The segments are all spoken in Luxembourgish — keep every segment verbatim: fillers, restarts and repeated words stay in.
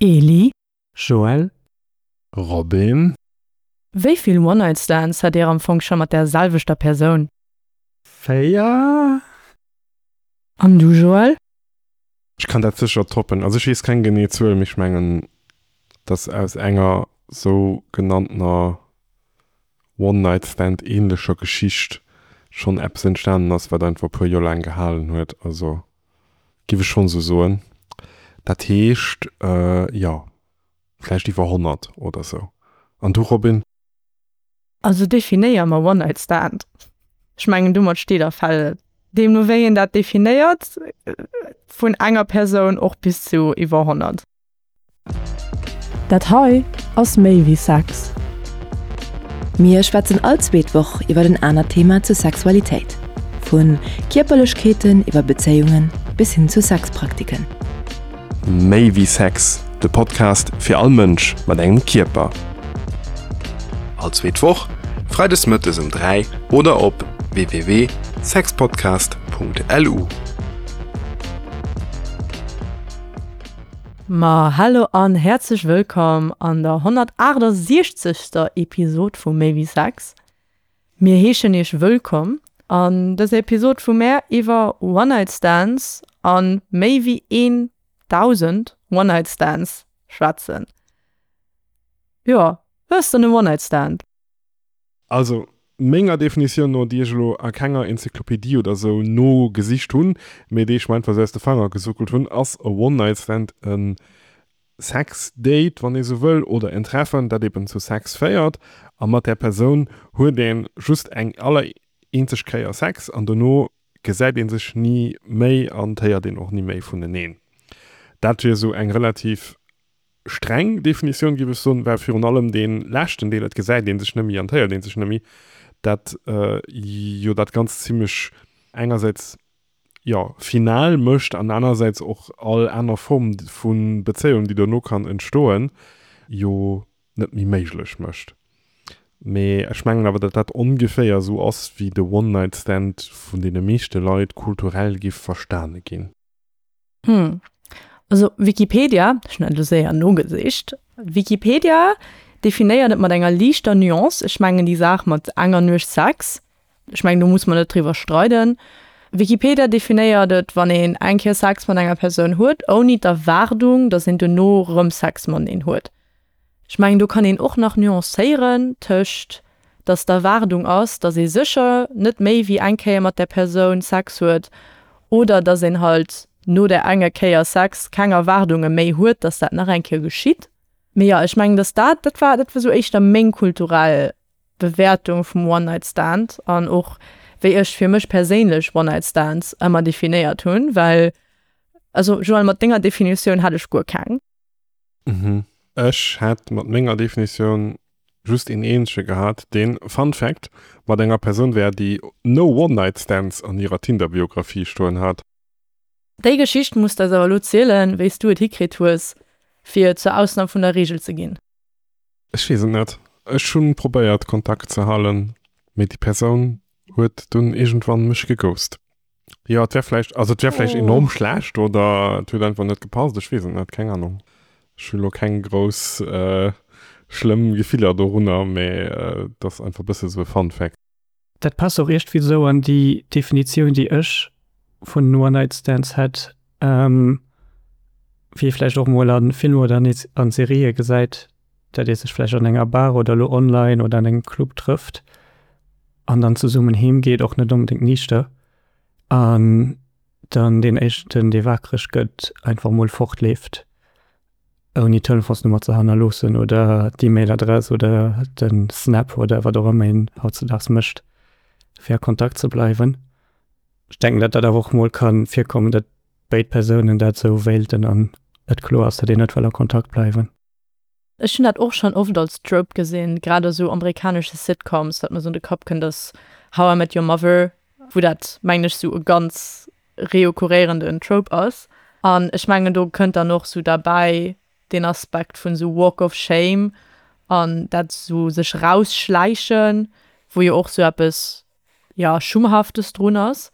Eli? Joël? Robin? Wéi vill One-Night-Stands hat Dir am Fong scho mat där selwechter Persoun? Véier? An du Joël? Ech kann dat sécher toppen. Also ech weess keng genee Zuel, mee ech mengen, dass aus enger sou genanntener One-Night-Stand-ähnlecher Geschicht schonn eppes entstanen ass, wat einfach e puer Joer laang gehalen huet. Also giff ech schonn sou soen. Dat heescht, jo, vläicht iwwer honnert oder sou. An du Robin? Also definéier mer One-Night-Stand. Ech mengen domat steet a fält et. Deemno wéi een dat definéiert, vun enger Persoun och bis zu iwwer honnert. Dat hei ass méi wéi Sex. Mir schwätzen all zweet Woch iwwer en anert Thema zur Sexualitéit. Vu Kierperlechkeeten iwwer Bezéiunge bis hin zu Sexpraktiken. Méi wéi Sex, de Podcast fir all Mënsch mat engem Kierper. All zweet Woch, freides mëttes um dräi oder op www.sexpodcast.lu. Ma hallo an häerzlech wëllkomm an der honnertaachtasechzegster Episod vu Méi wéi Sex. Mir heeschen iech wëllkomm an dëser Episod, wou mär iwwer One-Night-Stands an méi wéi een Dausend One-Night-Stands schwätzen. Jo, wat ass dann e One-Night-Stand? Also, menger Definitioun no, déi ech elo a kenger Enzyklopedie oder sou nogesicht hunn, mee déi ech mer einfach sou aus de Fanger gesuckelt hunn, ass e One-Night-Stand e Sex-Date, wann ee sou wëll, oder en Treffen, dat eben zu Sex féiert, a mat där Persoun huet ee just eng allereenzeg Kéier Sex an dono gesäit ee sech ni méi an et héiert een och ni méi vuneneen. Dat wier esou eng relativ streng Definitioun, géif ech soen, well virun allem dee leschten Deel, et gesäit ee sech net méi an et héiert ee sech net méi, dat jo dat Ganzt zimlech engersäits, jo, final mécht an anersäits och all aner Form vu Bezéiung, déi dono kann entstoen, jo net méi méiglech mécht. Mee ech mengen awer, datt dat ongeféier esou ass, wéi de One-Night-Stand vun deene meeschte Leit kulturell giff verstane ginn. Hm. Also Wikipedia, ech hunn dat elo séier nogesicht, Wikipedia definéiert et mat enger liichter Nuance, ech mengen déi Saach mat enger Nuecht Sex, ech mengen do muss mer net driwwer streiden. Wikipedia definéiert et, wann een eng Kéier Sex mat enger Persoun huet, ouni d'Erwaardung, datt een dono erëm Sex mateneen huet. Ech mengen do kann een och nach nuancéieren tëscht, datt d'Erwaardung ass, datt ee sécher net méi wéi eng Kéier mat där Persoun Sex huet oder datt een halt no där enger Kéier Sex keng Erwaardunge méi huet, datt dat nach eng Kéier geschitt. Mee jo, ech mengen, datt dat, dat war, dat war sou éischter meng kulturell Bewäertung vum One-Night-Stand an och wéi ech fir mech perséinlech One-Night-Stands ëmmer definéiert hunn, well, also Joël, mat denger Definitioun hat ech guer keng. Mhm. Ech hätt mat menger Definitioun just een eenzege gehat, deen, Fun Fact, mat enger Persoun war, déi no One-Night-Stands an hirer Tinder-Biografie stoen hat. Déi Geschicht muss d'eis awer elo zielen, wéi s du et hikritt hues, fir zur Ausnam vun der Reegel ze ginn. Ech weess et net. Ech hu probéiert, Kontakt ze halen, mee déi Persoun huet dunn iergendwann mech geghost. Jo, et wär vläicht, also et wär vläicht enorm schlecht oder et huet einfach net gepasst, ech weess et net, keng Ahnung. Ech hu lo keng grouss schlëmm Gefiller dorunner, mee et ass einfach e bësse sou e Fun Fact. Dat passt och iergendwéi sou an déi Definitioun, déi ech vun One-Night-Stands hätt, wéi ee vläicht och mol a Filmer oder an Serië gesäit, dat ee sech vläicht an enger Bar oder elo online oder an engem Club trëfft an dann zesummen heem geet, och net onbedéngt niichter, an dann deen éischten, dee waakreg gëtt, einfach mol fortleeft. Ouni d'Telefonsnummer ze hannerloossen oder d'E-Mail-Adress oder de Snap oder wat och ëmmer een hautzedaags mécht, fir a Kontakt ze bleiwen. Ech denken, datt dat awer och mol ka virkommen, datt béid Persounen dat esou wéilten an et kloer ass, datt een net wëll a Kontakt bleiwen. Ech hunn dat och schonn oft als Trope gesinn, grad a sou amerikanesche Sitcoms, wat mer sou an de Kapp kënnt ass How I Met Your Mother, wou dat, mengen ech, sou e ganz reokurréierenden Trope ass. An ech mengen do kënnt dann och sou derbäi deen Aspekt vun sou Walk of Shame an dat sou sech rausschläichen, wou jo och sou eppes, jo, Schummhaftes drun ass.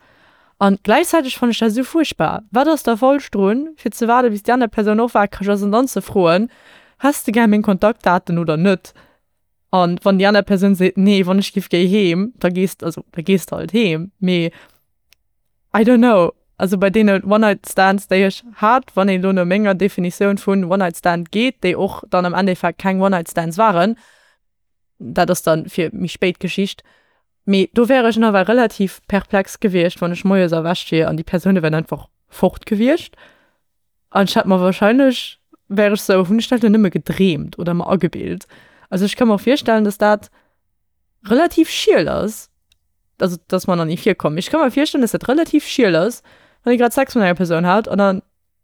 An gläichzäiteg fannen ech dat esou fuerchtbar. Wat ass da falsch drun, fir ze waarden, bis déi aner Persoun och wakereg ass an dann ze froen, Häss de gär meng Kontaktdaten oder net? An wann déi aner Persoun seet, Nee, wann ech giff géi heem, da gees, also da gees de halt heem. Mee I don't know, also bei deene One-Night-Stands, déi ech hat, wann een elo no menger Definitioun vun One-Night-Stand geet, déi och dann am Endeffekt keng One-Night-Stands waren, dat ass dann fir méi spéit Geschicht, mee do wär ech nawell relativ perplex gewiescht, wann ech moies erwächt wier an déi Persoune wären einfach fort gewiescht an ech hätt mer wahrscheinlech, wär ech sou, hunn ech dat elo nëmme gedreemt oder mer agebilt? Also ech ka mer och virstellen, dass dat relativ schiel ass, also dat ass mer nach ni virkomm, mee ech ka mer virstellen, dass dat relativ schiel ass, wann ee grad Sex mat enger Persoun hat an dann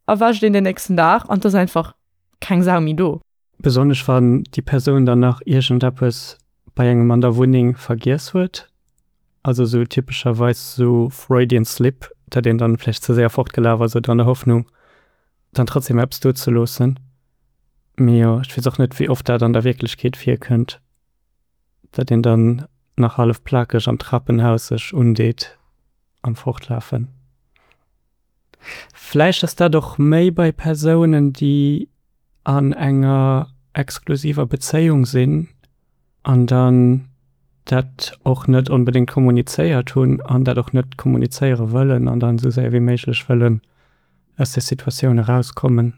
erwächt een den nächsten Dag an et ass einfach keng Sau méi do. Besonnesch wann déi Persoun dann nach iergendeppes bei engem an der Wunneng vergiess huet, also sou typescherweis sou Freudian Slip, datt een dann vläicht ze séier fortgelaf ass oder an der Hoffnung dann trotzdem eppes do ze loossen. Mee jo, ech weess och net wéi oft dat an der Wierklechkeet virkënnt, datt een dann nach hallef plakeg am Trapenhaus sech undeet am Fortlafen. Vläicht ass dat och méi bei Persounen, déi an enger exklusiver Bezéiung sinn an dann dat och net onbedéngt kommunizéiert hunn an dat och net kommunizéiere wëllen an dann esou séier wéi méiglech wëllen aus där Situatioun erauskommen.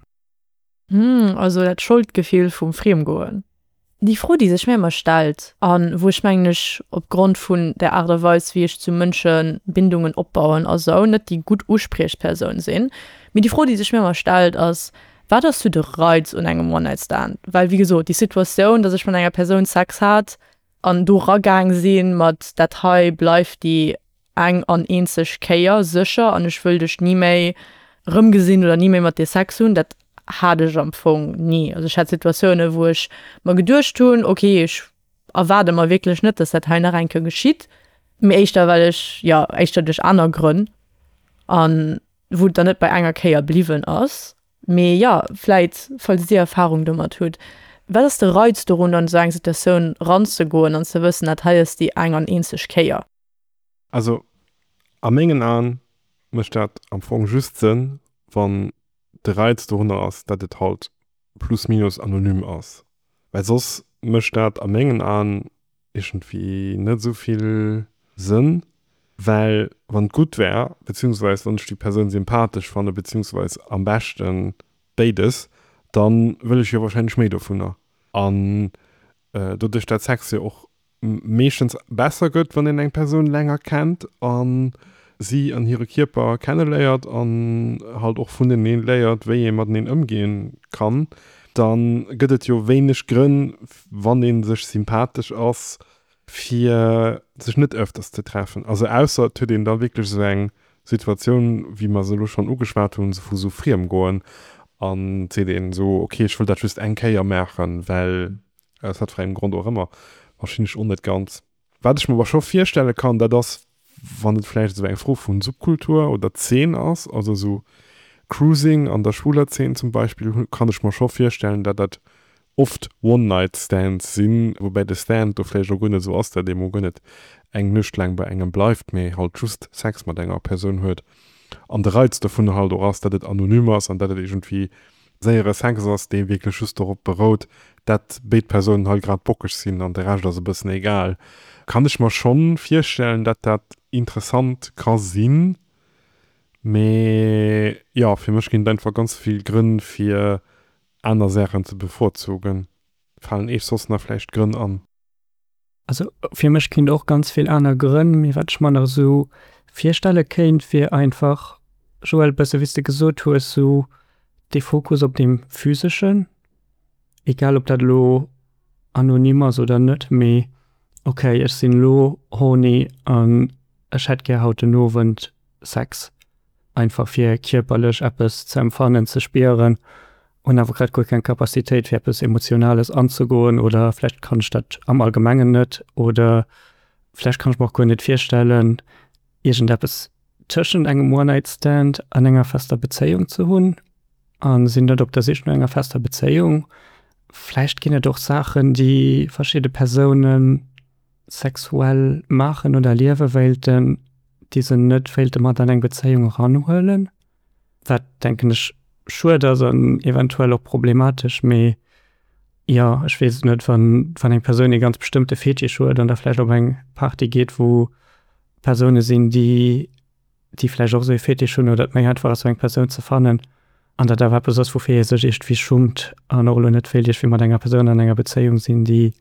Hm, also dat Scholdgefill vum Friemgoen. Déi Fro, déi sech mir ëmmer stellt a wou ech, mengen ech, opgrond vun der Aart a Weis, wéi ech zu Mënsche Bindungen opbauen a sou, net déi gutt Uspriechpersoun sinn, mee déi Fro, déi sech mir ëmmer stellt, ass, Wat ass sou de Reiz un engem One-Night-Stand? Well, wéi gesot, déi Situatioun, dass ech mat enger Persoun Sex hat an do ragaang si mat, dat hei bleift déi eng an eenzeg Kéier sécher an ech wëll dech ni méi rëmgesinn oder ni méi mat dir Sex hunn, dat hat ech am Fong ni. Also ech hat Situatiounen, wou ech mer geduecht hunn, ok, ech erwaarde mer wierklech net, dass dat hei nach eng Kéier geschitt, mee éischter well ech, jo, éischter duerch aner Grënn an wou et dann net bei enger Kéier bliwwen ass. Mee jo, vläit, falls dir Erfarung domat hutt, wat ass de Reiz dorun, an esou eng Situatioun ranzegoen an ze wëssen, dat hei ass déi eng an eenzeg Kéier? Also a mengen Aen mécht dat am Fong just Sënn, wann de Reiz dorunner ass, dat et halt plus minus anonym ass. Well soss mécht dat a mengen Aen iergendwéi net esou vill Sënn, well wann et gutt wär, beziehungsweis wann ech déi Persoun sympathesch fanne beziehungsweis am beschte béides, da wëll ech jo wahrscheinlech méi dovunner. An doduerch dat Sex jo och meeschtens besser gëtt, wann een eng Persoun länger kennt a si an hire Kierper kenneléiert an halt och vunenee léiert, wéi ee mateneen ëmgoe kann, da gëtt et jo wéineg Grënn, wann ee sech sympathesch ass, fir sech net ëfters ze treffen. Also ausser et huet een da wierklech esou eng Situatioun, wéi mer se elo schonn ugeschwat hunn, vu sou Friemgoen an et seet een esou, ok, ech wëll dat just eng Kéier maachen, well aus wat fir engem Grond och ëmmer, verstinn ech och net ganz. Wat ech mer awer scho virstelle kann, dat ass, wann et vläicht esou eng Fro vu Subkultur oder Zeen ass, also esou Cruising an der schwuler Zeen zum Beispill, kann ech mer scho virstellen, dat dat oft One-Night-Stands sinn, woubäi de Stand do vläicht och guer net esou ass, dat ee mol guer net eng Nuecht laang bei engem bleift, mee halt just Sex mat enger Persoun huet. An de Reiz dovunner halt och ass, dat et anonym ass an dat et iergendwéi séiere Sex ass, dee wierklech just dorop berout, dat béid Persounen halt grad bockeg sinn an de Rescht ass e bëssen egal. Kann ech mer schonn virstellen, dat dat interessant ka sinn, mee jo, fir mech ginn et einfach ganz vill Grënn fir aner Saachen ze bevorzugen. Falen Eech soss nach vläicht Grënn an? Also fir mech ginn et och ganz vill aner Grënn, mee wat ech mer nach esou virstelle kéint, wier einfach, Joël, bësse wéi s de gesot hues, esou dee Fokus op deem Physeschen, egal ob dat elo anonym ass oder net, mee okay, ech sinn elo horny an ech hätt gär haut den Owend Sex, einfach fir kierperlech eppes ze empfannen, ze spieren, hunn awer grad guer keng Capacitéit fir eppes Emotionales anzegoen oder vläicht kann ech dat am Allgemengen net oder vläicht kann ech mer och guer net virstellen, iergendeppes tëschent engem One-Night-Stand an enger fester Bezéiung ze hunn a sinn net op der Sich no enger fester Bezéiung. Vläicht ginn et och Saachen, déi verschidde Persoune sexuell maachen oder erliewe wéilten, déi se net wéilte mat an eng Bezéiung eranhuelen, wat, denken ech, schued ass an eventuell och problematesch. Mee jo, ech weess et net, wann, wann eng Persoun ee ganz bestëmmte Fetisch huet an da vläicht op eng Party geet, wou Persoune sinn, déi, déi vläicht och esou ee Fetisch hunn oder et méi einfach ass, esou eng Persoun ze fannen an dat awer eppes ass, woufir ee sech iergendwéi schummt an och elo net wéilt iergendwéi mat enger Persoun an enger Bezéiung sinn, déi,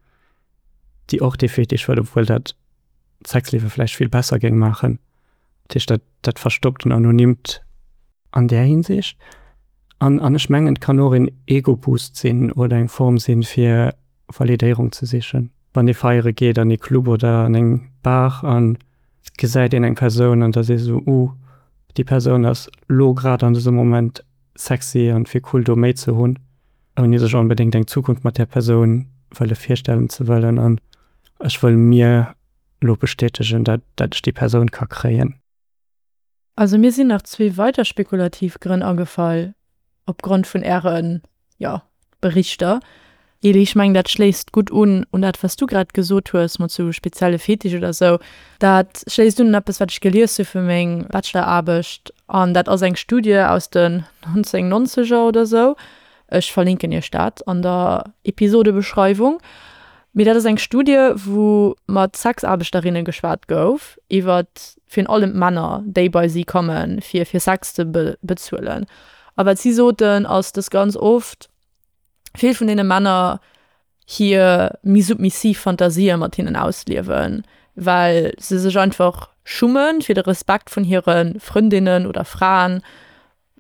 déi och dee Fetisch huet, obwuel dat d'Sexliewe vläicht vill besser géing maachen. Dat heescht, dat, dat verstoppt en Anonymt an där Hinsicht. An, an ech mengen, et kann och en Ego-Boost sinn oder eng Form sinn, fir Validéierung ze sichen. Wann ee feiere geet an ee Club oder an eng Bar an et gesäit een eng Persoun an da sees de esou, Uh, déi Persoun ass lo grad an dësem Moment sexy an et wier cool do méi ze hunn, ouni sech onbedéngt eng Zukunft mat där Persoun wëlle virstellen ze wëllen an ech wëll mir lo bestätegen, dat dat ech déi Persoun ka kréien. Also mir sinn nach zwee weider spekulativ Grënn agefall opgrond vun ären, jo, Berichter. Eli, ech mengen dat schléisst gutt un un dat wat s du grad gesot hues mat sou spezielle Fetisch oder sou. Dat schléisst un un eppes wat ech gelies hu fir meng Bacheloraarbecht an dat ass eng Studie aus den nonzéngnonzeger oder sou. Ech verlinken iech dat an der Episodebeschreiwung. Mee dat ass eng Studie, wou mat Sexaarbechterinne geschwat gouf iwwer virun allem d'Männer, déi bei si kommen, fir fir Sex ze bezuelen. A wat si soten, ass, dass ganz oft vill vun deene Männer hir méi submissiv Fantasië mat hinnen ausliewen, well se sech einfach schummen, fir de Respekt vun hire Frëndinnen oder Fraen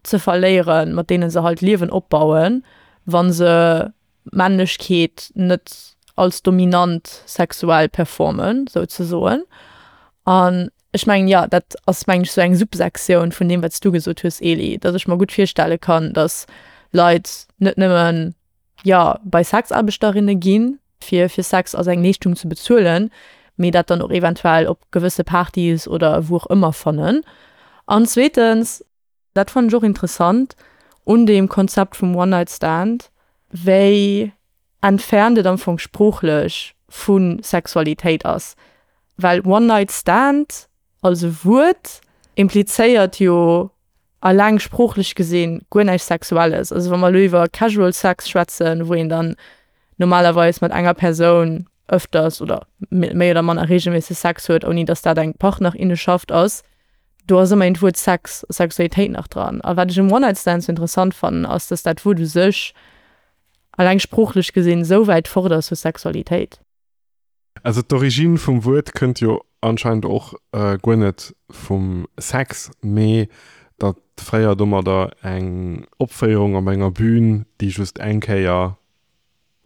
ze verléieren, mat deene se halt Liewen opbauen, wa se Männlechkeet net als dominant sexuell performen, souzesoen. An ech mengen, jo, dat ass, mengen ech, sou eng Subsektioun vun deem, wat s du gesot hues, Eli, datt ech mer gutt virstelle kann, datt Leit net nëmmen, jo, bei Sexaarbechterinne ginn, fir fir Sex als eng Leeschtung ze bezuelen, mee dat dann och eventuell op gewësse Partys oder wou och ëmmer fannen. An zweetens, dat fannen ech och interessant un deem Konzept vum One-Night-Stand, wéi entfernt et am Fong sproochlech vu Sexualitéit ass. Well One-Night-Stand als e Wuert implizéiert jo alleng sproochlech gesinn guer näischt Sexuelles. Also wa mer elo iwwer Casual Sex schwätzen, wou een dann normalerweis mat enger Persoun ëfters oder méi oder manner reegelméisseg Sex huet, ouni datt dat eng Partnerinneschaft ass, do ass ëmmerhin d'Wuert Sex, Sexualitéit nach dran. A wat ech um One-Night-Stand sou interessant fannen, ass, datt dat Wuert u sech alleng sproochlech gesinn esou wäit fort ass vu Sexualitéit. Also d'Origine vum Wuert kënnt jo anscheinend och guer net vum Sex, mee datt fréier domadder eng Opféierung op enger Bühn, déi just eng Kéier,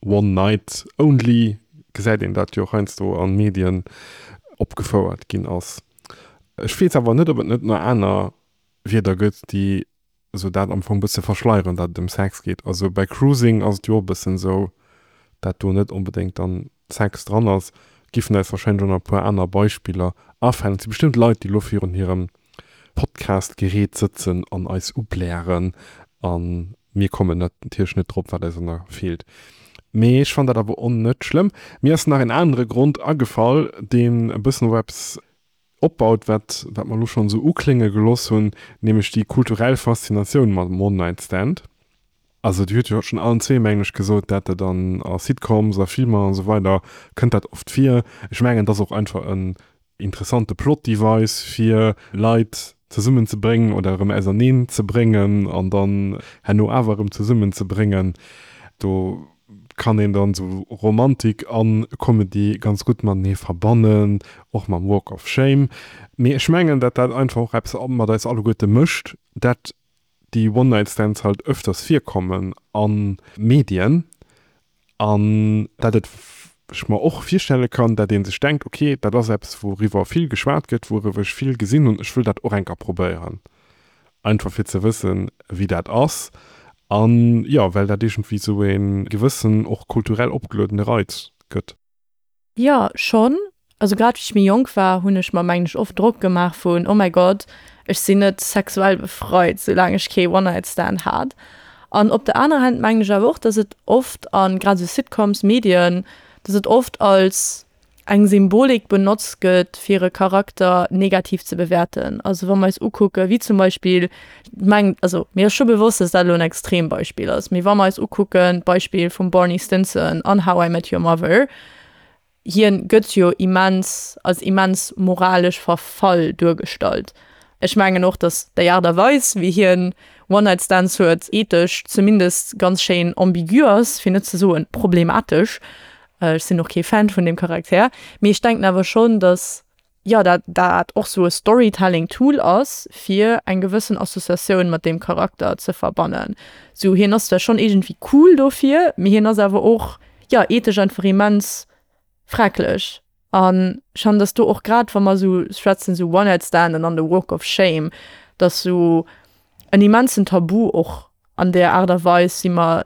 one night only, gesäit een dat jo heiansdo an Medien, opgefouert ginn ass. Ech weess awer net, ob et net nach aner Wierder gëtt, déi esou dat am Fong bësse verschleieren, dat et ëm Sex geet. Also bei Cruising ass et jo och e bëssen esou, dat do net onbedéngt dann Sex dran ass. Giffen eis wahrscheinlech och nach e puer aner Beispiller afalen. Et si bestëmmt Leit, déi elo virun hirem Podcast-Gerät sëtzen an eis ublären a mir kommen natierlech net drop, wat eis nach feelt. Mee ech fannen dat awer och net schlëmm. Mir ass nach en anere Grond agefall, deen e bëssen op eppes opbaut, wat wat mer elo schonn esou uklénge geloss hunn, nämlech déi kulturell Faszinatioun mam One-Night-Stand. Also Dir hutt jo schonn allen zwee, mengen ech, gesot, dat et an a Sitcoms, a Filmer an esou weider kënnt dat oft vir. Ech mengen, et ass och einfach en interessante Plot-Device, fir Leit zesummen ze bréngen oder erëm auserneen ze bréngen an dann herno awer erëm zesummen ze bréngen. Do kann een dann esou Romantik a Comedy ganz gutt matenee verbannen, och mam Walk of Shame. Mee ech mengen, dat dat einfach och eppes mat eis alleguerte mécht, dat déi One-Night-Stands halt öfters virkommen a Medien an dat et ech mer och virstelle kann, dat ee sech denkt, ok, dat ass eppes wouriwwer vill geschwat gëtt, wouriwwer ech vill gesinn hunn, ech wëll dat och eng Kéier probéieren, einfach fir ze wëssen, wéi dat ass an jo, well dat iergendwéi esou e gewëssen och kulturell opgeluedene Reiz gëtt. Jo, schonn. Also grad wéi ech méi jonk war, hunn ech mer mengen ech oft Drock gemaach vun, oh mäi Gott, ech sinn net sexuell befreit, soulaang ech kee One-Night-Stand hat. An op der anerer Hand mengen ech awer och, dass et oft, a grad esou Sitcoms, Medien, dass et oft als eng Symbolik benotzt gëtt, fir e Charakter negativ ze bewäerten. Also wa mer eis ukucke wéi zum Beispill, meng, also mir ass scho bewosst, dass dat elo en Extrembeispill ass, mee wa mer eis ukucken d'Beispill vum Barney Stinson an How I Met Your Mother, hien gëtt jo immens als immens moralesch verfall duergestallt. Ech mengen och, dass déi Aart a Weis, wéi hien One-Night-Stands huet, ethesch zumindest ganz schéin ambigu ass, fir net ze soen problematesch. Ech sinn och kee Fan vun deem Charakter, mee ech denken awer schonn, dass, jo, dat dat och sou e Storytelling-Tool ass, fir eng gewëssen Associatioun mat deem Charakter ze verbannen. Sou, hien ass zwar schonn iergendwéi cool dofir, mee hien ass awer och, jo, ethesch einfach immens fraglech. An ech fannen, dass do och grad, wa mer sou schwätzen, sou One-Night-Stand an dann de Walk of Shame, dass sou en immensen Tabu och an där Aart a Weis, wéi mer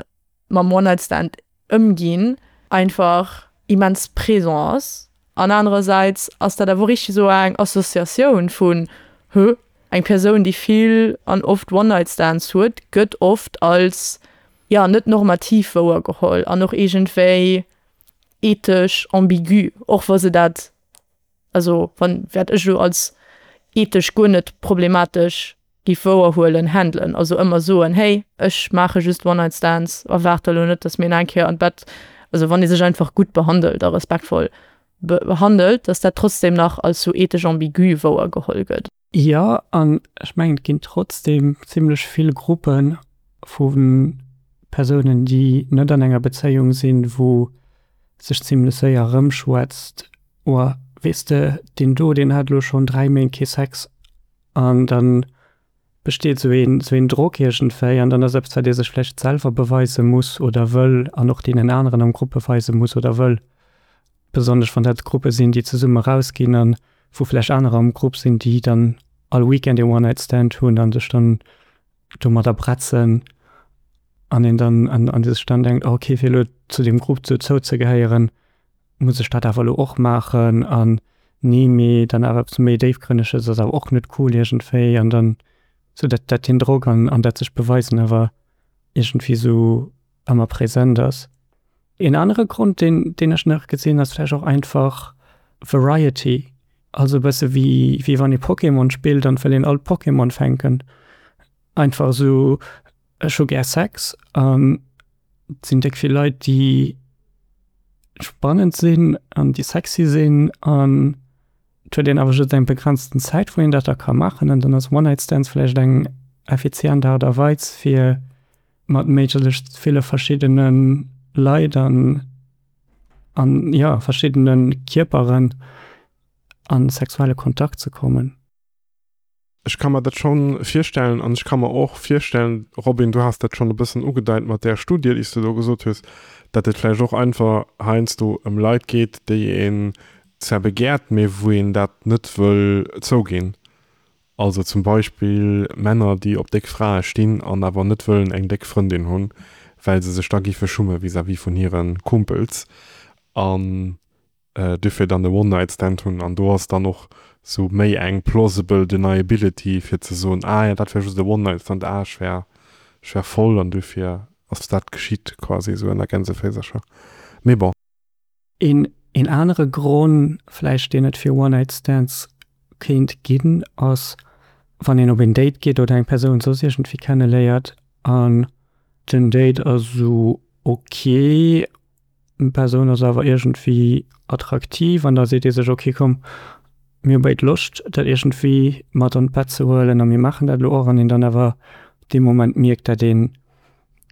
mam One-Night-Stand ëmginn, einfach immens présent ass. An anerersäits ass dat awer och richteg esou eng Associatioun vun, Hö, eng Persoun, déi vill an oft One-Night-Stands huet, gëtt oft als, jo, net normativ wouergeholl an och iergendwéi ethesch ambigu, och wa se dat, also wann, wat ech elo als ethesch guer net problematesch giff wouerhuelen, handelen. Also ëmmer soen, hey, ech maache just One-Night-Stands, erwaart elo net, dass mir nach eng Kéier an d'Bett, also wann ee sech einfach gutt behandelt a respektvoll behandelt, dass dat trotzdem nach als sou ethesch ambigu wouergeholl gëtt. Jo, an ech mengen, et ginn trotzdem zimlech vill Gruppe vu Persounen, déi net an enger Bezéiung sinn, wou sech zimlech séier erëmschwätzt, Oh, weess de, deen do, deen hat elo schonn dräi Méint kee Sex. An da besteet esou een, esou een Drock iergendwéi an dann ass eppes, wat ee sech vläicht selwer beweise muss oder wëll an och deenen aneren am Grupp beweise muss oder wëll. Besonnesch wann dat Gruppe sinn, déi zesumme rausginn an wou vläicht anerer am Grupp sinn, déi dann all Weekend ee One-Night-Stand hunn an sech dann domadder bretzen an een dann an an sech dann denkt, okay, fir elo zu deem Grupp dozou ze gehéieren, muss ech dat awer elo och maachen an nee, mee dann awer eppes méi Déifgrënneges ass awer och net cool iergendwéi an dann sou dat dat deen Drock an an dat sech beweisen awer iergendwéi sou ëmmer present ass. Een anere Grond deen deen ech nach gesinn ass vläicht och einfach Variety, also e bësse wéi wéi wann ee Pokémon spillt an et wëll een all d'Pokémon fänken, einfach sou ech hu gär Sex an et sinn déck vill Leit déi spannend sinn an déi sexy sinn an et huet een awer just eng begrenzten Zäit wou een dat da ka maachen an dann ass One-Night-Stands vläicht eng effizient Aart a Weis fir mat méiglechst ville verschiddene Leit an an jo verschiddene Kierperen a sexuelle Kontakt ze kommen. Ech ka mer dat schonn virstellen an ech ka mer och virstellen, Robin, du has dat schonn e bëssen ugedeit mat där Studie, déi s de do gesot hues, datt et vläicht och einfach heiansdo ëm Leit geet, déi een zwar begäert, mee wou een dat net wëll zouginn. Also zum Beispill Männer, déi op déck Frae stinn an awer net wëllen eng déck Frëndin hunn, well se sech da giffe schumme vis-à-vis vun hire Kumpels an duerfir dann e One-Night-Stand hunn. An do ass dann och sou méi eng plausible deniability fir ze soen, ah jo, dat war just e One-Night-Stand, ah ech war, ech war voll an duerfir ass dat geschitt quasi sou ënner Gänseféisercher. Mee bon. Een, een anere Gronn vläicht, deen et fir One-Night-Stands kéint ginn, ass wann een op een Date geet oder eng Persoun soss iergendwéi kenneléiert an den Date ass sou ok, d'Persoun ass awer iergendwéi attraktiv an da seet ee sech, ok komm, mir hu béid Loscht dat iergendwéi mat an d'Bett ze huelen a mir maachen dat elo och an een dann awer dee Moment mierkt, dat ee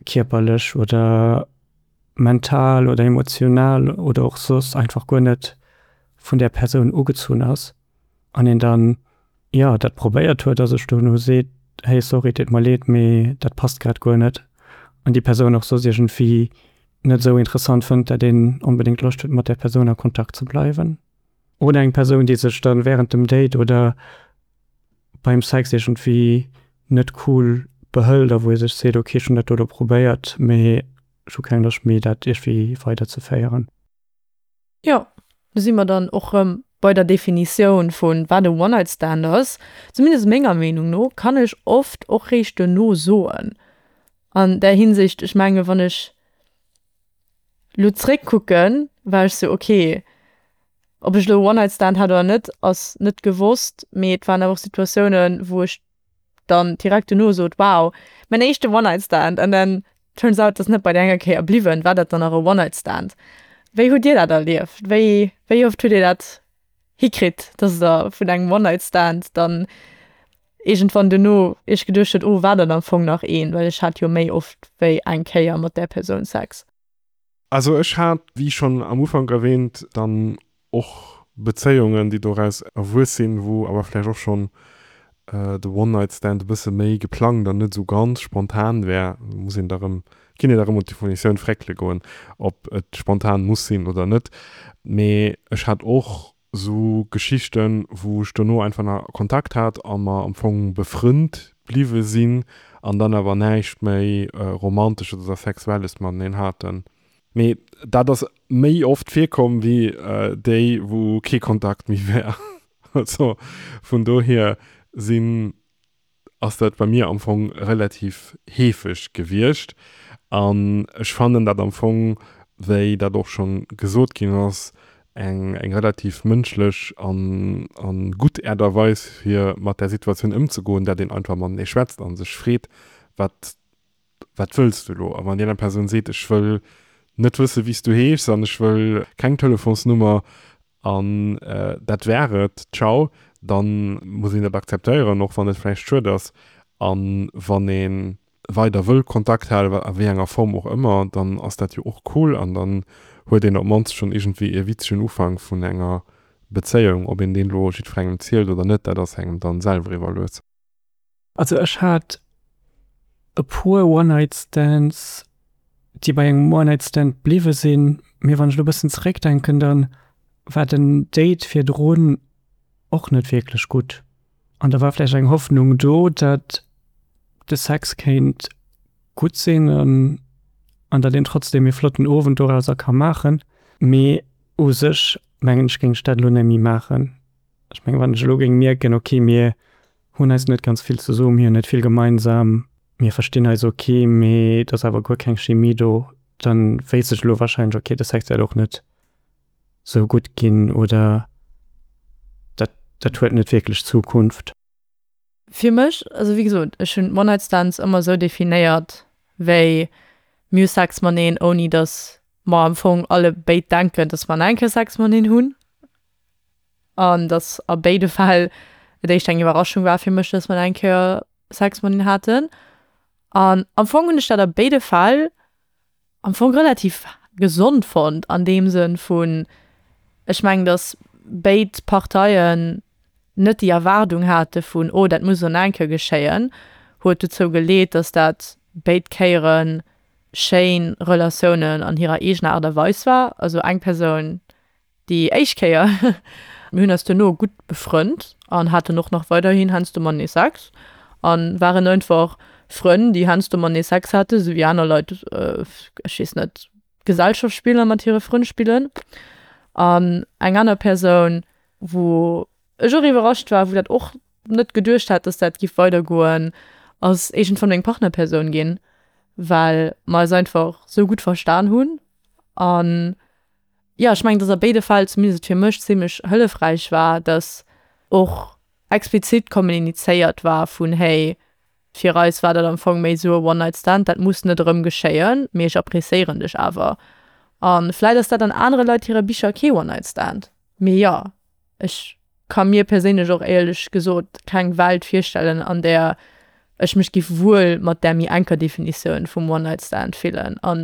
kierperlech oder mental oder emotional oder och soss einfach guer net vun där Persoun ugezunn ass an een dann, jo, dat probéiert huet a sech dono seet, hey sorry, et deet mer leed, mee dat passt grad guer net an déi Persoun och soss iergendwéi net esou interessant fënnt, dat een onbedéngt Loscht huet mat där Persoun a Kontakt ze bleiwen. Oder eng Persoun, déi sech dann während dem Date oder beim Sex iergendwéi net cool behëlt a wou ee sech seet, ok, ech hunn dat do elo probéiert, mee ech hu keng Loscht méi dat iergendwéi weiderzeféieren. Jo, do si mer dann och rëm bei der Definitioun vu wat e One-Night-Stand ass. Zumindest menger Meenung no kann ech oft och réischt duerno soen. An där Hinsicht, ech menge wann ech lo zréckkucken, war ech sou, okay, Ob ech elo e One-Night-Stand hat oder net, ass net gewosst, mee et waren awer och Situatiounen, wou ech dann direkt duerno sot, wow, mäin éischte One-Night-Stand and then turns out, et ass net bei där enger Kéier bliwwen. War dat dann nach e One-Night-Stand? Wéi hutt Dir dat erlieft? Wéi, wéi oft hutt Dir dat hikritt, dass Der vun engem One-Night-Stand dann iergendwann duerno Iech geduecht hutt, oh, war dat am Fong nach een, well ech hat jo méi oft wéi eng Kéier mat där Persoun Sex? Also ech hat, wéi schonn am Ufank erwähnt, dann och Bezéiungen, déi doraus erwuess sinn, wou awer vläicht och schonn de One-Night-Stand e bësse méi geplangt an net esou ganz spontan wär. Muss een da rëm, kinnt een da rëm un d'Definitioun fréckele goen, ob et spontan muss sinn oder net. Mee ech hat och esou Geschichten, wou ech dono einfach nach Kontakt hat a mer am Fong befrënnt bliwwe sinn an dann awer näischt méi Romantesches oder Sexuelles mateneen haten. Mee dat ass méi oft virkomm wéi déi, wou kee Kontakt méi war. Also vun dohier sinn, ass dat bei mir am Fong relativ heefeg gewiescht. An ech fannen dat am Fong, wéi dat och schonn gesot ginn ass, eng eng relativ mënschlech an an gutt Äert a Weis fir mat där Situatioun ëmzegoen, dat een einfach matenee schwätzt a sech freet, wat wat wëlls du elo? A wann déi aner Persoun seet, ech wëll net wësse wéi s du heeschs an ech wëll keng Telefonsnummer an dat wär et, ciao, da muss een dat akzeptéieren, och wann et vläicht schued ass. A wann ee weider wëll Kontakt halen, a wéi enger Form och ëmmer, dann ass dat jo och cool an dann huet een op d'mannst schonn iergendwéi e witzegen Ufank vun enger Bezéiung. Ob een deen elo jiddwerengem zielt oder net, dat ass engem dann selwer iwwerlues. Also ech hat e puer One-Night-Stands, déi bei engem One-Night-Stand bliwwe sinn, mee wann ech elo e bëssen zeréckdenken, da war den Date virdrun och net wierklech gutt. An da war vläicht eng Hoffnung do, datt de Sex kéint gutt sinn an an datt een trotzdem ee flotten Owend dorauser ka maachen. Mee u sech mengen ech géing ech dat elo net méi maachen. Ech mengen wann ech elo géing mierken, ok mir hunn eis net ganz vill ze soen, mir hunn net vill gemeinsam, mir verstinn eis ok, mee et ass awer guer keng Chemie do, dann wéisst ech elo wahrscheinlech, ok de Sex wäert och net sou gutt ginn oder dat dat huet net wierklech Zukunft. Fir mech, also wéi gesot, ech hunn One-Night-Stands ëmmer esou definéiert wéi mir hu Sex mateneen, ouni datt mer am Fong alle béid denken, datt mer nach eng Kéier Sex mateneen hunn. An datt a béide Fäll et éischter eng Iwwerraschung war fir mech, datt mer nach eng Kéier Sex mateneen haten. An am Fong hunn ech dat a béide Fäll am Fong relativ gesond fonnt an deem Sënn vun, ech mengen, datt béid Parteien net déi Erwaardung hate vun, oh dat muss elo nach eng Kéier geschéien, huet dozou geleet, datt dat béid Kéiere schéin Relatiounen an hirer eegener Aart a Weis war. Also eng Persoun déi éischt Kéier, mir hunn eis duerno gutt befrënnt an haten och nach weiderhin heiansdo matenee Sex a waren einfach Frënn, déi heiansdo matenee Sex haten, esou wéi aner Leit, ech weess net, Gesellschaftsspiller mat hire Frënn spillen. An eng aner Persoun, wou ech och iwwerrascht war, wou dat och net geduecht hat, dass dat giff weidergoen, ass iergendwann meng Partnerpersoun ginn, well mer eis einfach sou gutt verstan hunn. An jo, ech mengen, dass a béide Fäll, zumindest fir mech, zimlech hëllefräich war, dass och explizit kommunizéiert war vun, hey, fir eis war dat am Fong méi sou e One-Night-Stand, dat muss net erëm geschéien, mee ech appreciéieren dech awer. A vläit ass dat an anere Leit hire Bicher kee One-Night-Stand, mee jo, ech ka mir perséinlech och éierlech gesot keng Welt virstellen, an där ech mech giff wuel mat där méi enker Definitioun vum One-Night-Stand fillen a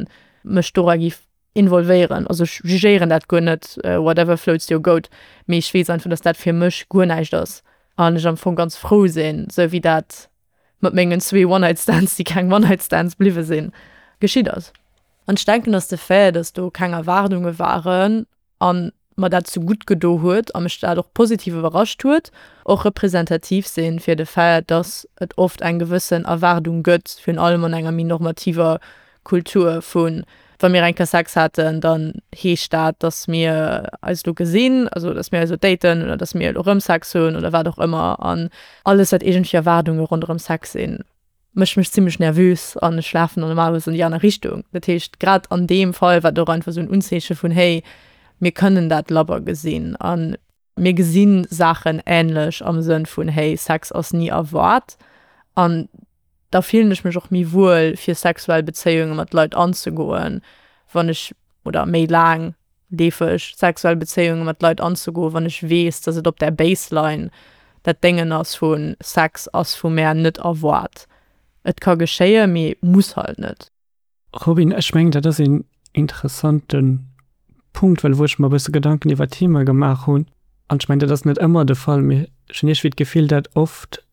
mech dora giff involvéieren. Also ech jugéieren dat guer net, whatever floats your goat, mee ech weess einfach, dass dat fir mech guer näischt ass an ech am Fong ganz frou sinn, sou wéi dat mat mengen zwee One-Night-Stands, déi keng One-Night-Stands bliwwe sinn, geschitt ass. An ech denken, dass de Fait, dass do keng Erwaardunge waren an mer dat zu gutt gedo huet a mech dat och positiv iwwerrascht huet, och representativ sinn fir de Fait, dass et oft eng gewëssen Erwaardung gëtt, virun allem an enger méi normativer Kultur vun, wa mir eng Kéier Sex haten, dann heescht dat, dass mir eis elo gesinn, also dass mir eis elo daten oder dass mir elo erëm Sex hunn oder wat och ëmmer. An alles, wat iergendwéi Erwaardunge ronderëm Sex sinn, mécht mech zimmlech nervös an ech lafen dann normalerweis an déi aner Richtung. Dat heescht, grad an deem Fall war et och einfach esou en Unzeeche vun, hey, Mir kënnen dat labber gesinn a mir gesi Saachen änlech am Sënn vun, hey, Sex ass ni erwaart. An da fillen ech mech och méi wuel, fir sexuell Bezéiunge mat Leit anzegoen, wann ech, oder méi laang leefeg sexuell Bezéiunge mat Leit anzegoen, wann ech weess, dass et op där Baseline dat Déngen ass vu Sex ass vu mär net erwaart. Et ka geschéien, mee muss halt net. Robin, ech mengen, dat ass een interessante Punkt, well wou ech mer e bësse Gedanken iwwer d'Thema gemaach hunn, an ech mengen, dat ass net ëmmer de Fall, mee ech hunn iergendwéi d'Gefill, dat oft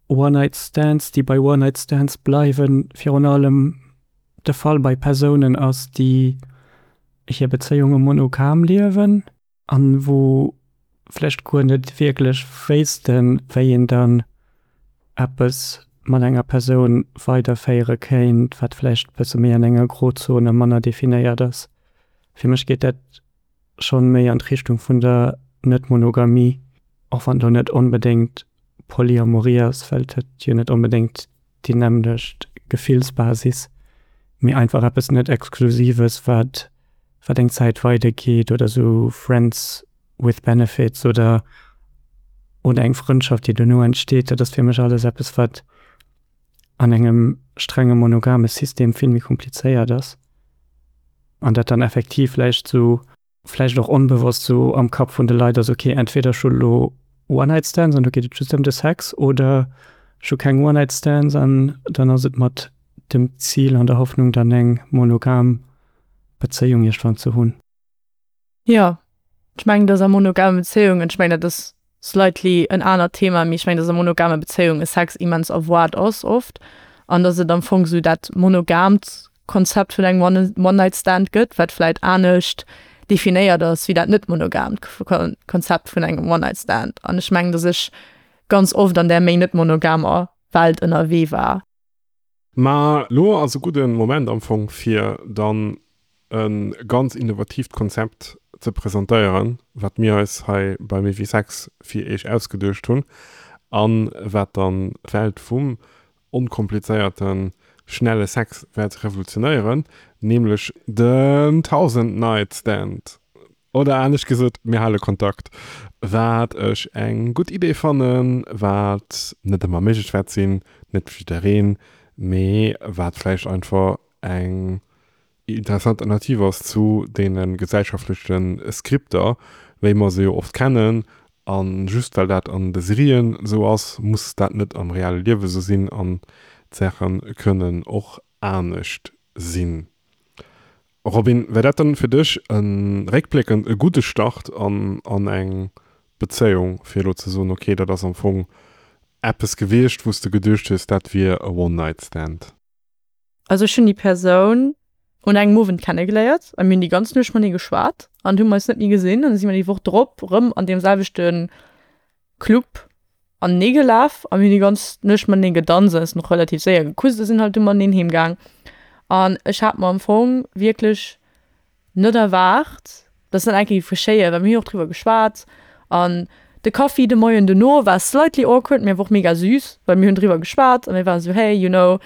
One-Night-Stands, déi bei One-Night-Stands bleiwen, virun allem de Fall bei Persounen ass, déi hir Bezéiunge monogam liewen an wou vläicht guer net wierklech wéissten, wéi een dann eppes mat enger Persoun weiderféiere kéint, wat vläicht e bësse méi an enger Grozon a manner definéiert ass. Fir mech geet dat schonn méi an d'Richtung vun der Net-Monogamie, och wann do net onbedéngt Polyamorie ass, well et huet jo net onbedéngt déi nämmlecht Gefillsbasis, mee einfach eppes net Exklusives, wat wat eng Zäit weidergeet oder sou Friends with Benefits oder oder eng Frëndschaft, déi dono entsteet, dat ass fir mech alles eppes, wat an engem strenge monogame System vill méi komplizéiert ass an dat dann effektiv vläicht sou, vläicht och onbewosst sou am Kapp vun de Leit ass, okay, entweder ech hu lo One-Night-Stands an do geet et just ëm de Sex oder ech hu keng One-Night-Stands an dann ass et mat dem Zil an der Hoffnung dann eng monogam Bezéiung iergendwann ze hunn. Jo, ech mengen, dass a monogame Bezéiungen, ech mengen, dat ass slightly en anert Thema, mee ech mengen, dass a monogame Bezéiunge Sex immens erwaart ass oft an dass et am Fong esou dat monogamt Konzept vun engem One-Night-Stand gëtt, wat vläit anescht definéiert ass wéi dat net monogamt Konzept vun engem One-Night-Stand. An ech mengen, dass ech ganz oft an där méi net monogamer Welt ënnerwee war. Ma lo ass e gudde Moment am Fong fir dann e ganz innovatiivt Konzept ze presentéieren, wat mir eis hei bei Méi wéi Sex fir iech ausgeduecht hunn a wat dann d'Welt vum onkomplizéierte schnelle Sex wäert revolutionéieren, nämlech den Thousand Night Stand. Oder anescht gesot, mir hale Kontakt. Wat ech eng gutt Idee fannen, wat net ëmmer méiglech wäert sinn, net fir jiddereen, mee wat vläicht einfach eng interessant Alternativ ass zu deene gesellschaftleche Skripter, wéi mer se jo oft kennen. A just well dat an de Serien esou ass, muss dat net am reale Liewe esou sinn an d'Saache kënnen och anescht sinn. Robin, wär dat dann fir dech e réckbléckend e gudde Start an an eng Bezéiung, fir elo ze soen, okay, dat ass am Fong eppes gewiescht, wou s de geduecht hues, dat wier e One-Night-Stand? Also ech hunn déi Persoun un engem Owend kennegeléiert a mir hunn déi ganz Nuecht matenee geschwat an hu mer eis net méi gesinn. An da si mer déi Woch drop erëm an deem selwechte Club anenee gelaf a mir hunn déi ganz Nuecht matenee gedanzt an eis och relativ séier gekusst a sinn halt du mateneen heem gaang. An ech hat mer am Fong wierklech net erwaart, dass dat eng Kéier géif geschéien, well mir hunn och driwwer geschwat an de Kaffi de Moien dono war slightly awkward, mee awer och mega süß, well mir hunn driwwer geschwat a mir waren esou, hey, you know,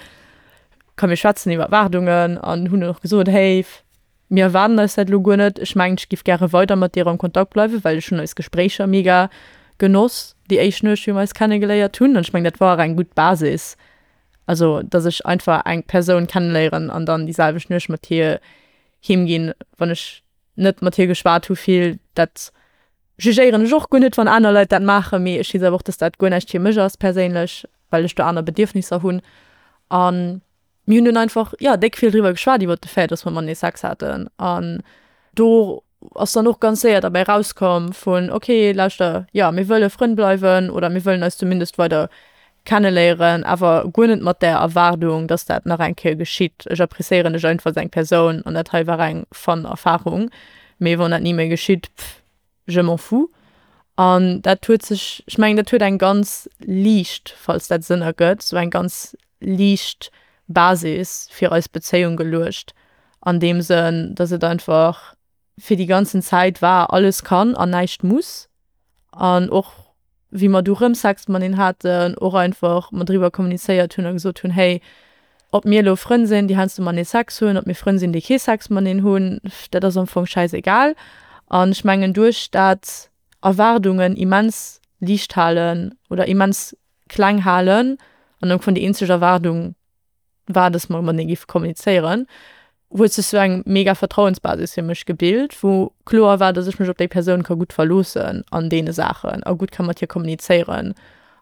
komm mir schwätzen iwwer Erwaardungen an hunn och gesot, hey, mir erwaarden eis dat elo guer net. Ech mengen, ech géif gäre weider mat dir am Kontakt bleiwen, well ech hunn eis Gespréicher mega genoss déi éischt Nuecht, wéi mir eis kennegeléiert hunn. An ech mengen, dat war och eng gutt Basis, also dass ech einfach eng Persoun kenneléieren an dann déi selwecht Nuecht mat hir heem ginn, wann ech net mat hir geschwat hu vill. Dat jugéieren ech och guer net, wann aner Leit dat maachen, mee ech weess awer och, dass dat guer näischt fir mech ass perséinlech, well ech do aner Bedierfnisser hunn. An mir hunn dunn einfach, jo, déck vill driwwer geschwat iwwer de Fait, dass mer matenee Sex haten. An do ass dann och ganz séier derbäi rauskomm vun, okay, lauschter, jo, mir wëlle Frënn bleiwen oder mir wëllen eis zumindest weider kenneléieren, awer guer net mat där Erwaardung, dass dat nach eng Kéier geschitt. Ech appréciéieren dech einfach als eng Persoun an dat hei war eng fun Erfarung, mee wann dat ni méi geschitt, pff, je m'en fous. An dat huet sech, ech mengen, dat huet eng ganz liicht, falls dat Sënn ergëtt, sou eng ganz liicht Basis fir eis Bezéiung geluecht, an deem Sënn, dass et einfach fir déi ganzen Zäit war, alles kann an näischt muss. An och wéi mer du rëm Sex mateneen haten, och einfach mer driwwer kommunizéiert hunn a gesot hunn, hey, ob mir elo Frënn sinn, déi heiansdo matenee Sex hunn, ob mir Frënn sinn, déi kee Sex mateneen hunn, dat ass am Fong schäisegal. An ech mengen duerch dat Erwaardungen immens liicht halen oder immens kleng halen an am Fong déi eenzeg Erwaardung war, dass mer matenee géife kommunizéieren, huet sech sou eng mega Vertrauensbasis fir mech gebilt, wou kloer war, dass ech mech op déi Persoun ka gutt verloossen an deene Saachen a gutt ka mat hir kommunizéieren.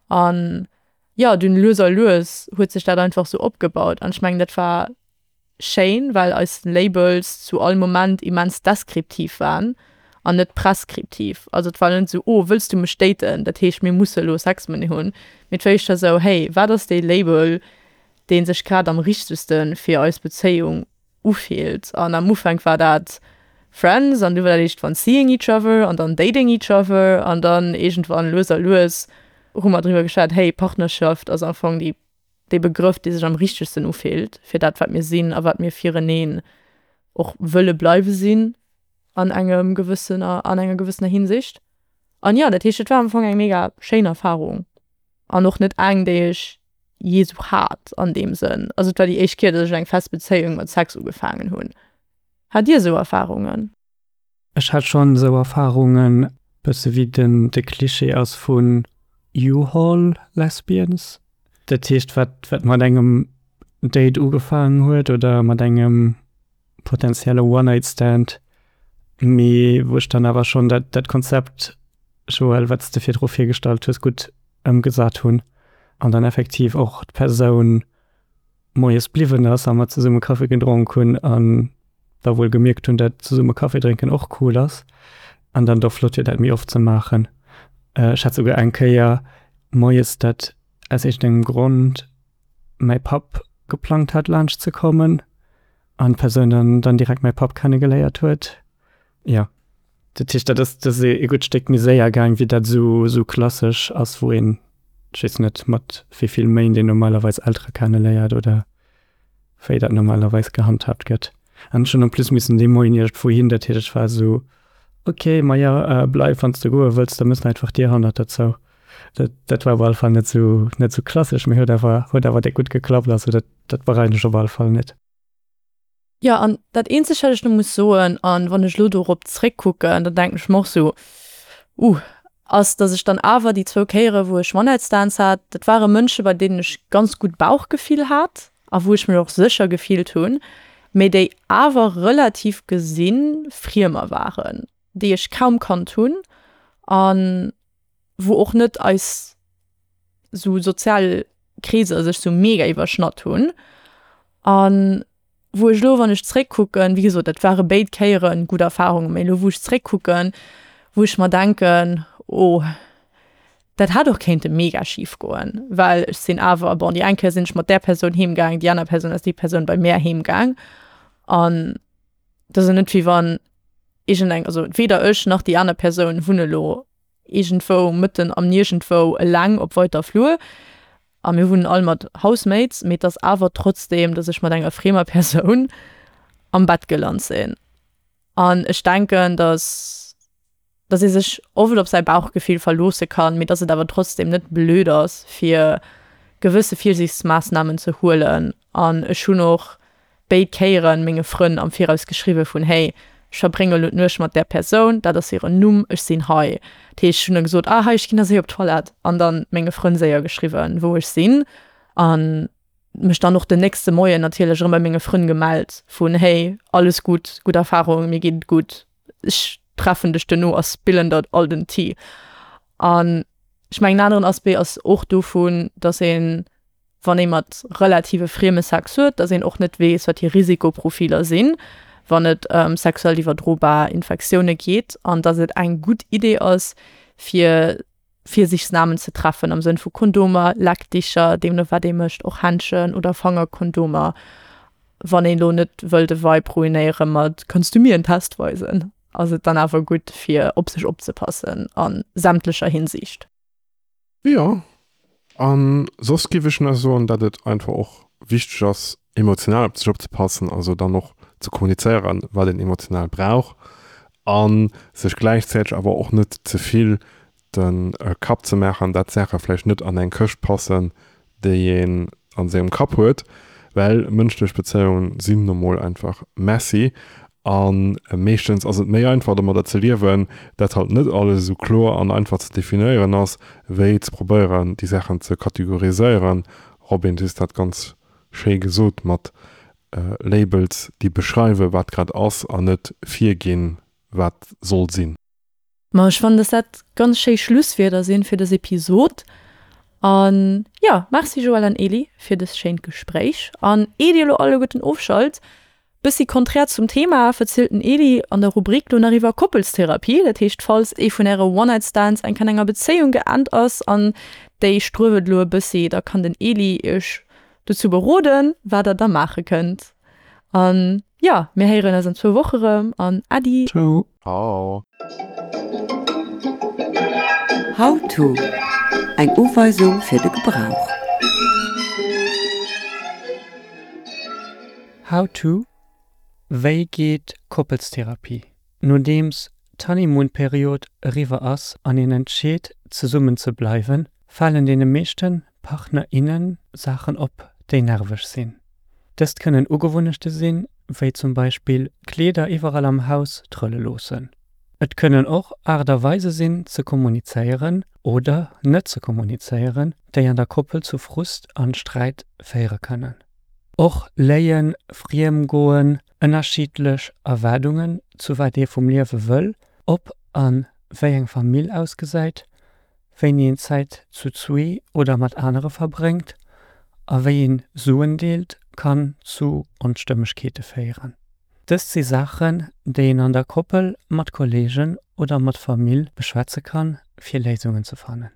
An jo, dunn lues a lues huet sech dat einfach sou opgebaut an ech mengen, dat war schéin, well eis Labels zu all Moment immens deskriptiv waren an net preskriptiv. Also et war net sou, oh, wëlls du mech daten, dat heescht mir musse elo Sex matenee hunn, mee et war éischter sou, hey, wat ass dee Label, dee sech grad am richtegste fir eis Bezéiung ufillt? An am Ufank war dat Friends an du war dat iergendwann seeing each other an dann dating each other an dann iergendwann lues a lues hu mer driwwer geschwat, hey, Partnerschaft ass am Fong déi dee Begrëff, dee sech am richtegsten ufillt fir dat, wat mir sinn a wat mir fireneen och wëlle bleiwe sinn an engem gewëssener, an enger gewëssener Hinsicht. An jo, dat heescht, et war am Fong eng mega schéin Erfarung an och net eng, déi ech jee sou hat an deem Sënn. Also et war déi éischt Kéier, datt ech eng fest Bezéiung mat Sex ugefaangen hunn. Hat Dir sou Erfarungen? Ech hat schonn esou Erfarungen, bësse wéi den de Klischee ass vun U-Haul Lesbians. Dat heescht, wat wat mat engem Date ugefaangen huet oder mat engem potenzielle One-Night-Stand, mee wou ech dann awer schonn dat dat Konzept, Joël, wat s de virdru virgestallt hues, gutt ëmgesat hunn an dann effektiv och d'Persoun moies bliwwen ass a mer zesumme Kaffi gedronk hunn an da wuel gemierkt hunn, dat zesumme Kaffi drénken och cool ass an dann do flott wier, dat méi oft ze maachen. Ech hat souguer eng Kéier moies, dat aus iergendengem Grond mäi Papp geplangt hat laanscht ze kommen an d'Persoun dann dann direkt mäi Papp kennegeléiert huet. Jo, dat heescht, dat ass dat ass ee gutt Stéck méi séier gaang, wéi dat esou esou klassesch ass, wou een, ech weess net, mat wéi vill Méint een normalerweis Eltere kenneléiert oder wéi dat normalerweis gehandhaabt gëtt. An ech hunn en plus missen dee Moien iergendwou hin, dat heescht, ech war esou, ok, maja, bleif, wann s de goe wëlls, da méchs de einfach d'Dier hannert der zou. Dat dat war op alle Fall net esou net esou klassesch, mee huet awer huet awer déck gutt geklappt. Also dat dat bereien ech op alle Fall net. Jo, an dat eenzegt wat ech nach muss soen, an wann ech elo dorop zréckkucken, da denken ech mer och sou, uh, ass dass ech dann awer déi zwou Kéiere wou ech One-Night-Stands hat, dat ware Mënsche bei deenen ech ganz gutt Bauchgefill hat a wou ech mech och sécher gefillt hunn, mee déi awer relativ gesinn Friemer waren, déi ech kaum kannt hunn an wou och net eis sou sozial Kreeser sech sou mega iwwerschnatt hunn an wou ech elo, wann ech zréckkucken, wéi gesot, dat ware béid Kéiere gutt Erfarungen, mee elo wou ech zréckkucken, wou ech mer denken, oh, dat hätt och kéinte mega schif goen, well ech sinn awer, bon, déi eng Kéier sinn ech mat där Persoun heem gaang, déi aner Persoun ass déi Persoun bei mär heem gaang an dat ass jo net wéi wann iergendeng, also weder ech nach déi aner Persoun wunne elo iergendwou mëtten am Niergendwou eleng op weiter Flur a mir wunnen all mat Housemates, mee et ass awer trotzdeem, datt ech mat enger friemer Persoun am Bett gelant sinn. An ech denken, datt datt ee sech oft op säi Bauchgefill verloosse kann, mee datt et awer trotzdeem net blöd ass, fir gewësse Virsiichtsmaassnamen ze huelen. An ech hunn och béid Kéieren menge Frënn am Viraus geschriwwe vun, hey, ech verbrénge elo d'Nuecht mat där Persoun, dat ass hiren Numm, ech sinn hei. Dat heescht, ech hunn da gesot, ah hei, ech ginn da séier op d'Toilette an dann menge Frënn séier geschriwwen, wou ech sinn an mech dann och den nächste Moien natierlech erëm bei menge Frënn gemellt vun, hey, alles gutt, gutt Erfarung, mir geet et gutt, ech treffen dech duerno a spillen der all den Tea. An ech mengen, en aneren Aspect ass och dovun, dass een, wann ee mat relative frieme Sex huet, dass een och net weess, wat hir Risikoprofiler sinn, wann et ëm sexuell iwwerdrobar Infektioune geet, an dass et eng gutt Idee ass, fir Virsiichtsnamen ze treffen am Sënn vu Kondomer, Leckdicher, deemno wat ee mécht, och Händschen oder Fangerkondomer, wann een elo net wëll de Vibe ruinéiere mat Kanns du mir en Test weisen? ass et dann awer gutt, fir op sech opzepassen a sämtlecher Hinsicht. Jo, a soss géif ech nach soen, datt et einfach och wichteg ass, emotional op sech opzepassen, also dann och ze kommunizéieren, wat een emotional brauch a sech gläichzäiteg awer och net ze vill de Kapp ze maachen, datt Saache vläicht net an eng Këscht passen, déi een a sengem Kapp huet, well mënschlech Bezéiunge sinn nu mol einfach messy A meeschtens ass et méi einfach domadder ze liewen, dat halt net alles esou kloer an einfach ze definéieren ass, wéi ze probéieren déi Saachen ze kategoriséieren. Robin, du hues dat ganz schéi gesot mat Labels, déi beschreiwen, wat grad ass an net virginn, wat soll sinn. Ma ech fannen, dass dat ganz schéi Schlusswierder sinn fir dës Episod. An jo, Merci Joël an Eli fir dëst schéint Gespréich. An ier dir elo alleguerten ofschalt, bëssi konträr zum Thema, verzielt den Eli an der Rubrik lo nach iwwer Koppelstherapie. Dat heescht, falls ee vun äre One-Night-Stands eng an enger Bezéiung geend ass an déi struewelt elo e bëssi, da kann den Eli iech dozou beroden, wat der da maache kënnt. An jo, mir héieren eis an zwou Woche rëm an Äddi! Ciao! Ciao! How to, Eng Uweisung fir de Gebrauch. How to, Wéi geet Koppelstherapie? Nodeems d'Honeymoon-Period eriwwer ass an een entscheet zesummen ze bleiwen, falen deene meeschte Partner, innen Saachen op, déi nerveg sinn. Dëst kënnen Ugewunnechte sinn, wéi zum Beispill Kleeder iwwerall am Haus trëlle loossen. Et kënnen och Aart a Weise sinn ze kommunizéieren oder net ze kommunizéieren, déi an der Koppel zu Frust an Sträit féiere kënnen. Och Léien, Friemgoen, ënnerschiddlech Erwaardungen zu wat ee vum Liewe wëll, ob a wéi eng Famill ausgesäit, wéini een Zäit zu zwee oder mat anere verbréngt a wéi een Suen deelt, kann zu Onstëmmegkeete féieren. Dëst si Saachen, déi een an der Koppel, mat Kolleegen oder mat Famill beschwätze kann, fir Léisungen ze fannen.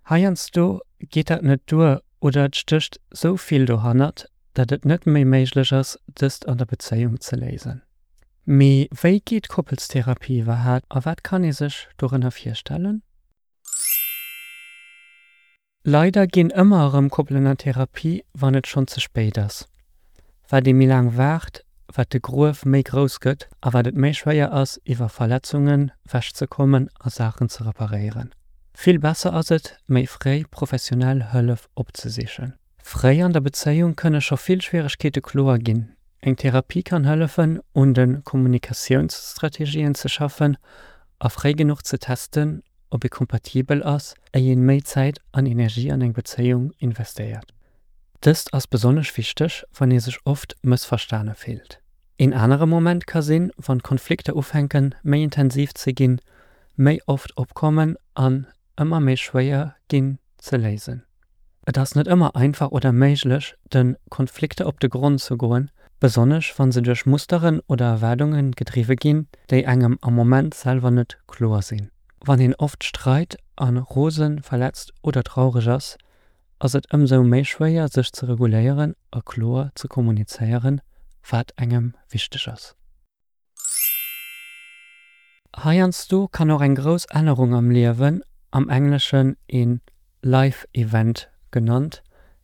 Heiansdo geet dat net duer oder et stécht sou vill dohannert, dat et net méi méiglech ass, dëst an der Bezéiung ze léisen. Mee wéi geet Koppelstherapie iwwerhaapt a wat kann ee sech dorënner virstellen? Leider ginn ëmmer erëm Koppelen an Therapie, wann et schonn ze spéit ass. Wat ee méi laang waart, wat de Gruef méi grouss gëtt a wat et méi schwéier ass, iwwer Verletzungen wechzekommen a Saachen ze reparéieren. Vill besser ass et, méi fréi professionell Hëllef opzesichen. Fréi an der Bezéiung kënne scho vill Schwieregkeete kloer ginn. Eng Therapie kann hëllefen, un de Kommunikatiounsstrategien ze schaffen a fréi genuch ze testen, ob ee kompatibel ass, éier een méi Zäit an Energie an eng Bezéiung investéiert. Dëst ass besonnesch wichteg, wann ee sech oft mëssverstane fillt. Een anere Moment ka sinn, wann d'Konflikter ufänken, méi intensiv ze ginn, méi oft opkommen an ëmmer méi schwéier ginn ze léisen. Et ass net ëmmer einfach oder méiglech, de Konflikter op de Grond ze goen, besonnesch wann se duerch Musteren oder Erwaardunge gedriwwe ginn, déi engem am Moment selwer net kloer sinn. Wann een oft streit an rosen, verletzt oder traureg ass, ass et ëmsou méi schwéier sech ze reguléieren a kloer ze kommunizéieren, wat engem wichteg ass. Heiansdo kann och eng grouss Ännerung am Liewen, am Engleschen een Life Event genannt,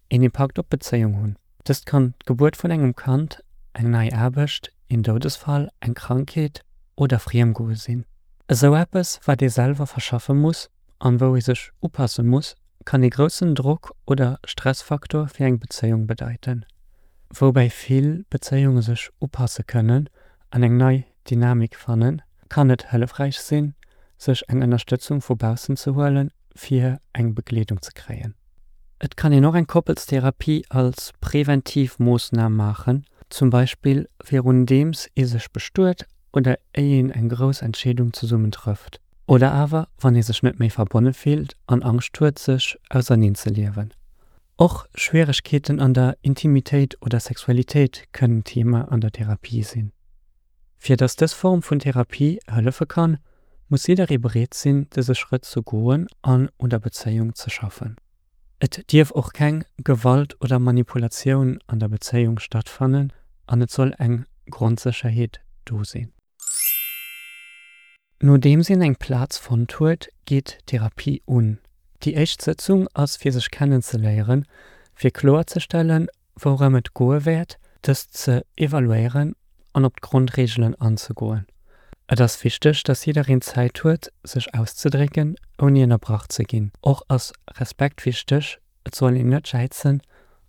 een Impakt op d'Bezéiung hunn. Dëst kann d'Gebuert vun engem Kand, eng nei Aarbecht, een Doudesfall, eng Krankheet oder Friemgoe sinn. Esou eppes, wat ee selwer verschaffe muss an wou ee sech upasse muss, kann ee groussen Drock oder Stressfaktor fir eng Bezéiung bedeiten. Woubäi vill Bezéiunge sech upasse kënnen an eng nei Dynamik fannen, kann et hëllefräich sinn, sech eng Ënnerstëtzung vu baussen ze huelen, fir eng Begleedung ze kréien. Et kann een och eng Koppelstherapie als preventiv Moossnam maachen, zum Beispill virundeems ee sech bestuet oder éier een eng grouss Entscheedung zesummen trëfft. Oder awer wann ee sech net méi verbonne fillt an Angscht huet sech auserneen ze liewen. Och Schwieregkeeten an der Intimitéit oder Sexualitéit kënnen Thema an der Therapie sinn. Fir dass dës Form vun Therapie hëllefe kann, muss jidderee bereet sinn dëse Schrëtt ze goen an un der Bezéiung ze schaffen. Et dierf och keng Gewalt oder Manipulatioun an der Bezéiung stattfannen an et soll eng Grondsécherheet do sinn. Nodeems een eng Plaz fonnt huet, geet d'Therapie un. Déi éischt Sëtzung ass fir sech kennenzeléieren, fir kloerzestellen, wourëm et goe wäert, dëst ze evaluéieren an op d'Grondreegelen anzegoen. Et ass wichteg, dass jiddereen Zäit huet, sech auszedrécken, ouni ënnerbrach ze ginn. Och ass Respekt wichteg, et soll een net jäizen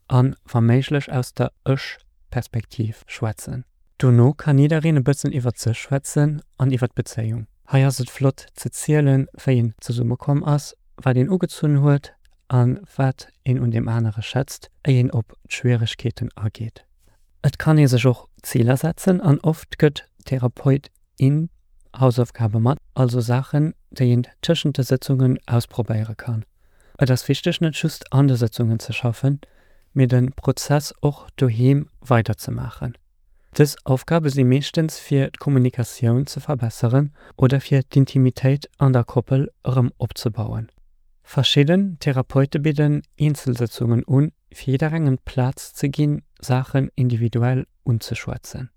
an, wa méiglech, aus der Ech-Perspektiv schwätzen. Dono kann jiddereen e bëssen iwwert sech schwätzen an iwwert d'Bezéiung. Hei ass et flott ze zielen, wéi een zesummekomm ass, wat een ugezunn huet a wat een un deem anere schätzt, éier een op d'Schwieregkeeten ageet. Et kann ee sech och Ziler setzen an oft gëtt d'Therapeut, in Hausaufgabe mat, also Saachen, déi een tëschent de Sëtzungen ausprobéiere kann. Et ass wichteg net just an de Sëtzungen ze schaffen, mee de Prozess och doheem weiderzemaachen. Dës Aufgabe si meeschtens fir d'Kommunikatioun ze verbesseren oder fir d'Intimitéit an der Koppel erëm opzebauen. Verschidden Therapeute bidden Eenzelsëtzungen un, fir jidderengem d'Plaz ze ginn, Saachen individuell unzeschwätzen.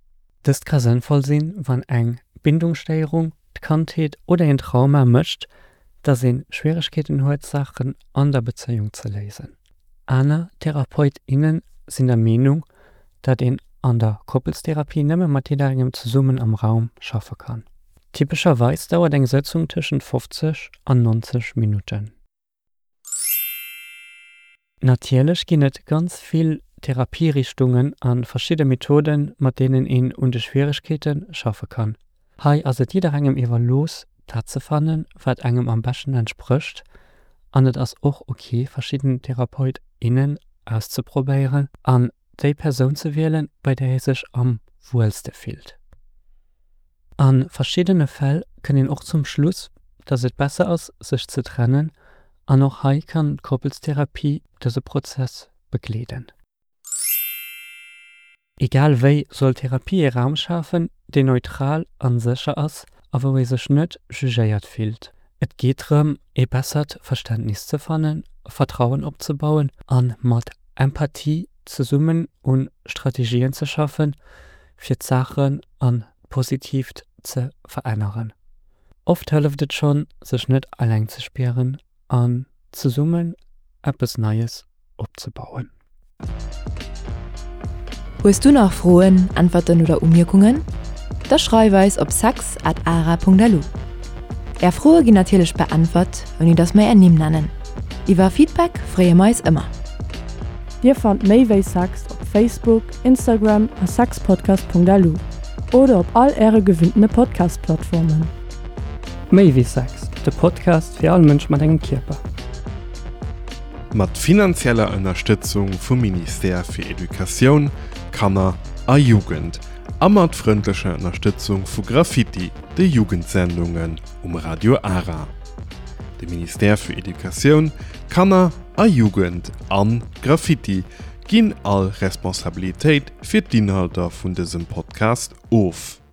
Dëst ka sënnvoll sinn, wann eng Bindungsstéierung, d'Kandheet oder een Trauma mécht, dass ee Schwieregkeeten huet, Saachen an der Bezéiung ze léisen. Aner Therapeut, innen sinn der Meenung, datt een an der Koppelstherapie nëmme mat jidderengem zesummen am Raum schaffe kann. Typescherweis dauert eng Sëtzung tëschent fofzeg an neunzeg Minutten. Natierlech ginn et ganz vill Therapierichtungen a verschidde Methoden, mat deenen een un de Schwieregkeete schaffe kann. Hei ass et jidderengem iwwerlooss, dat ze fannen, wat engem am beschten entsprécht an et ass och ok, verschidden Therapeut, innen auszeprobéieren an déi Persoun ze wielen, bei där ee sech am wuelste fillt. A verschiddene Fäll kënnt een och zum Schluss, dass et besser ass, sech ze trennen an och hei kann d'Koppelstherapie dëse Prozess begleeden. Egal wéi soll Therapie ee Raum schafen, deen neutral an sécher ass a wou ee sech net jugéiert fillt. Et geet drëm, ee bessert Verständnis ze fannen, Vertrauen opzebauen a mat Empathie zesummen un Strategien ze schaffen, fir d'Saachen an d'Positiivt ze veränneren. Oft hëlleft et schonn, sech net eleng ze spieren an zesummen eppes Neies opzebauen. Hues du nach Froen, Äntwerten oder Umierkungen? Da schreif eis op sex at ara punkt lu. Är Froe ginn natierlech beäntwert, ouni dass mer är Nimm nennen. Iwwer Feedback freeë mer eis ëmmer. Dir fannt méi wéi Sex op Facebook, Instagram a sexpodcast punkt lu oder op all äre gewinntene Podcast-Plattformen. Méi wéi Sex, de Podcast fir all Mënsch mat engem Kierper. Mat finanzieller Ënnerstëtzung vum Ministère fir Educatioun, Kanner a Jugend a mat frëndlecher Ënnerstëtzung vu Graffiti, de Jugendsendungen um Radio Ara. De Ministère fir Educatioun, Kanner a Jugend an Graffiti ginn all Responsabilitéit fir d'Inhalter vun dësem Podcast of.